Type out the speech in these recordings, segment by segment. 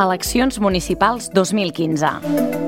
Eleccions municipals 2015.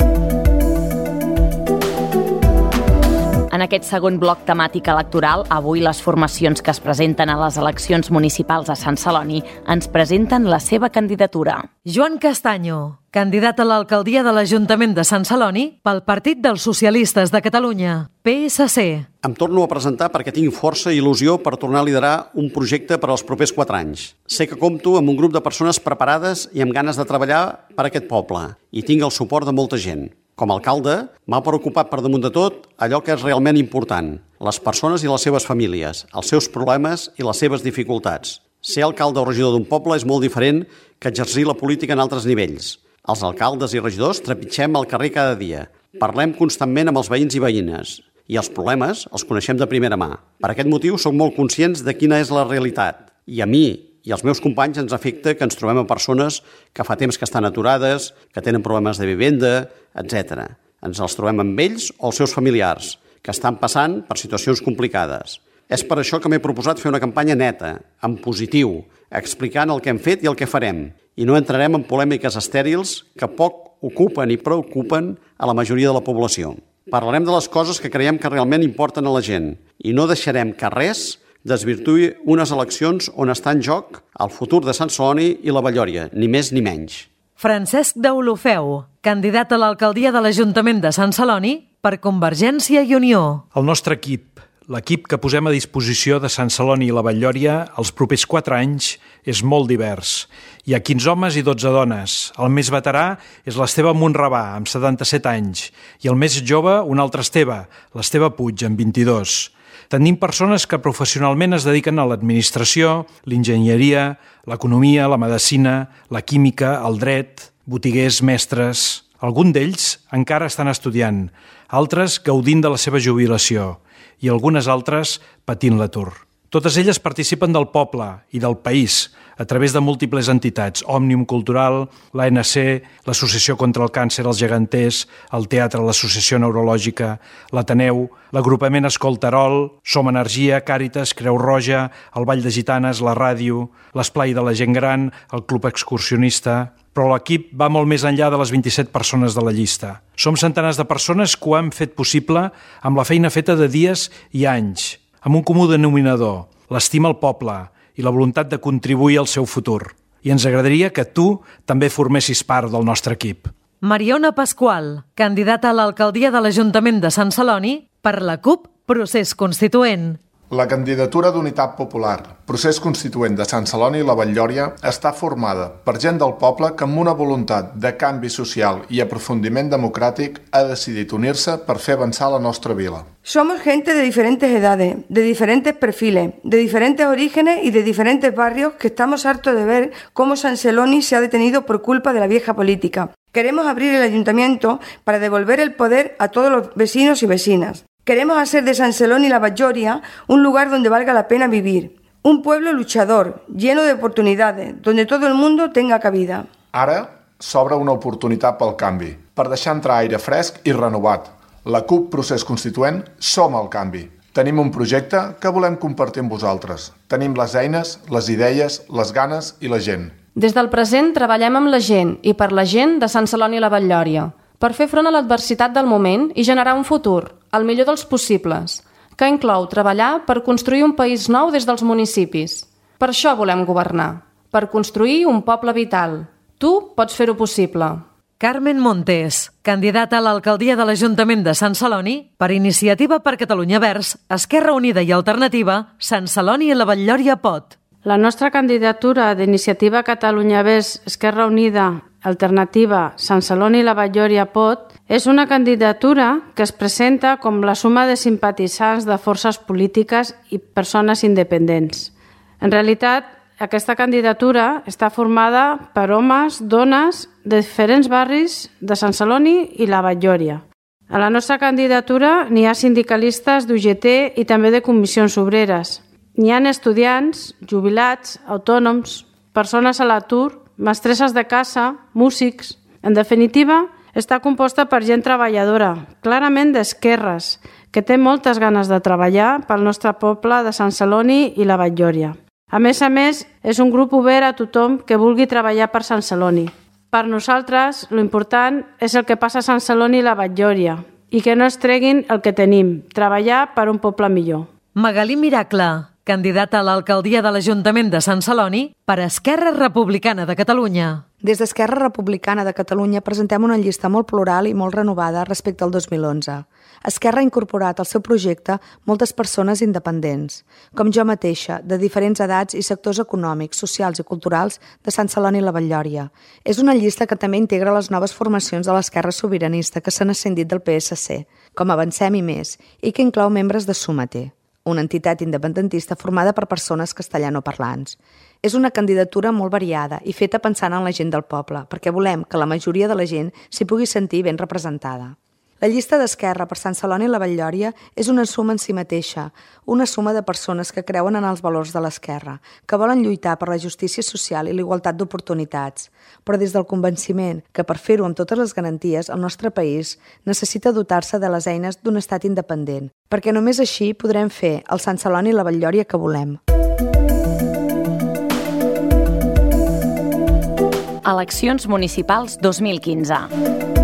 En aquest segon bloc temàtic electoral, avui les formacions que es presenten a les eleccions municipals a Sant Celoni ens presenten la seva candidatura. Joan Castaño, candidat a l'alcaldia de l'Ajuntament de Sant Celoni pel Partit dels Socialistes de Catalunya, PSC. Em torno a presentar perquè tinc força i il·lusió per tornar a liderar un projecte per als propers 4 anys. Sé que compto amb un grup de persones preparades i amb ganes de treballar per a aquest poble i tinc el suport de molta gent. Com a alcalde, m'ha preocupat per damunt de tot allò que és realment important, les persones i les seves famílies, els seus problemes i les seves dificultats. Ser alcalde o regidor d'un poble és molt diferent que exercir la política en altres nivells. Els alcaldes i regidors trepitgem al carrer cada dia. Parlem constantment amb els veïns i veïnes i els problemes els coneixem de primera mà. Per aquest motiu som molt conscients de quina és la realitat. I a mi i als meus companys ens afecta que ens trobem amb persones que fa temps que estan aturades, que tenen problemes de vivenda, etc. Ens els trobem amb ells o els seus familiars, que estan passant per situacions complicades. És per això que m'he proposat fer una campanya neta, en positiu, explicant el que hem fet i el que farem. I no entrarem en polèmiques estèrils que poc ocupen i preocupen a la majoria de la població. Parlarem de les coses que creiem que realment importen a la gent i no deixarem que res desvirtuï unes eleccions on està en joc el futur de Sant Celoni i la Vallòria, ni més ni menys. Francesc Deulofeu, candidat a l'alcaldia de l'Ajuntament de Sant Celoni per Convergència i Unió. El nostre equip, l'equip que posem a disposició de Sant Celoni i la Vallòria els propers 4 anys, és molt divers. Hi ha 15 homes i 12 dones. El més veterà és l'Esteve Monrabà, amb 77 anys, i el més jove, un altre Esteve, l'Esteve Puig, amb 22. Tenim persones que professionalment es dediquen a l'administració, l'enginyeria, l'economia, la medicina, la química, el dret, botiguers, mestres. Alguns d'ells encara estan estudiant, altres gaudint de la seva jubilació i algunes altres patint l'atur. Totes elles participen del poble i del país a través de múltiples entitats, Òmnium Cultural, l'ANC, l'Associació contra el Càncer als Geganters, el Teatre, l'Associació Neurològica, l'Ateneu, l'Agrupament Escolterol, Som Energia, Càritas, Creu Roja, el Ball de Gitanes, la ràdio, l'Esplai de la Gent Gran, el Club Excursionista. Però l'equip va molt més enllà de les 27 persones de la llista. Som centenars de persones que ho han fet possible amb la feina feta de dies i anys, amb un comú denominador, l'estima al poble i la voluntat de contribuir al seu futur. I ens agradaria que tu també formessis part del nostre equip. Mariona Pasqual, candidata a l'alcaldia de l'Ajuntament de Sant Celoni per la CUP Procés Constituent. La candidatura d'Unitat Popular, Procés Constituent de Sant Celoni i la Vallòria, està formada per gent del poble que amb una voluntat de canvi social i aprofundiment democràtic ha decidit unir-se per fer avançar la nostra vila. Somos gente de diferentes edades, de diferentes perfiles, de diferentes orígenes y de diferentes barrios que estamos hartos de ver cómo San Celoni se ha detenido por culpa de la vieja política. Queremos abrir el ayuntamiento para devolver el poder a todos los vecinos y vecinas. Queremos hacer de Sant Celoni y la Vallòria un lugar donde valga la pena vivir. Un pueblo luchador, lleno de oportunidades, donde todo el mundo tenga cabida. Ara s'obre una oportunitat pel canvi, per deixar entrar aire fresc i renovat. La CUP Procés Constituent som el canvi. Tenim un projecte que volem compartir amb vosaltres. Tenim les eines, les idees, les ganes i la gent. Des del present treballem amb la gent i per la gent de Sant Celoni i la Vallòria, per fer front a l'adversitat del moment i generar un futur, el millor dels possibles, que inclou treballar per construir un país nou des dels municipis. Per això volem governar, per construir un poble vital. Tu pots fer-ho possible. Carmen Montes, candidata a l'alcaldia de l'Ajuntament de Sant Celoni per Iniciativa per Catalunya Verds, Esquerra Unida i Alternativa, Sant Celoni i la Vallòria pot. La nostra candidatura d'Iniciativa Catalunya Verds, Esquerra Unida, Alternativa, Sant Celoni i la Vallòria pot és una candidatura que es presenta com la suma de simpatitzants de forces polítiques i persones independents. En realitat, aquesta candidatura està formada per homes, dones de diferents barris de Sant Celoni i la Vallòria. A la nostra candidatura n'hi ha sindicalistes d'UGT i també de comissions obreres. N'hi ha estudiants, jubilats, autònoms, persones a l'atur, mestresses de casa, músics. En definitiva, està composta per gent treballadora, clarament d'esquerres, que té moltes ganes de treballar pel nostre poble de Sant Celoni i la Vallòria. A més, és un grup obert a tothom que vulgui treballar per Sant Celoni. Per nosaltres, l'important és el que passa a Sant Celoni i la Batllòria i que no es treguin el que tenim, treballar per un poble millor. Magalí Miracle, candidata a l'alcaldia de l'Ajuntament de Sant Celoni per Esquerra Republicana de Catalunya. Des d'Esquerra Republicana de Catalunya presentem una llista molt plural i molt renovada respecte al 2011. Esquerra ha incorporat al seu projecte moltes persones independents, com jo mateixa, de diferents edats i sectors econòmics, socials i culturals de Sant Celoni i la Batllòria. És una llista que també integra les noves formacions de l'esquerra sobiranista que s'han ascendit del PSC, com Avancem i Més, i que inclou membres de Sumater, una entitat independentista formada per persones castellanoparlants. És una candidatura molt variada i feta pensant en la gent del poble, perquè volem que la majoria de la gent s'hi pugui sentir ben representada. La llista d'Esquerra per Sant Celoni i la Batllòria és una suma en si mateixa, una suma de persones que creuen en els valors de l'esquerra, que volen lluitar per la justícia social i l'igualtat d'oportunitats, però des del convenciment que per fer-ho amb totes les garanties el nostre país necessita dotar-se de les eines d'un estat independent, perquè només així podrem fer el Sant Celoni i la Batllòria que volem. Eleccions municipals 2015.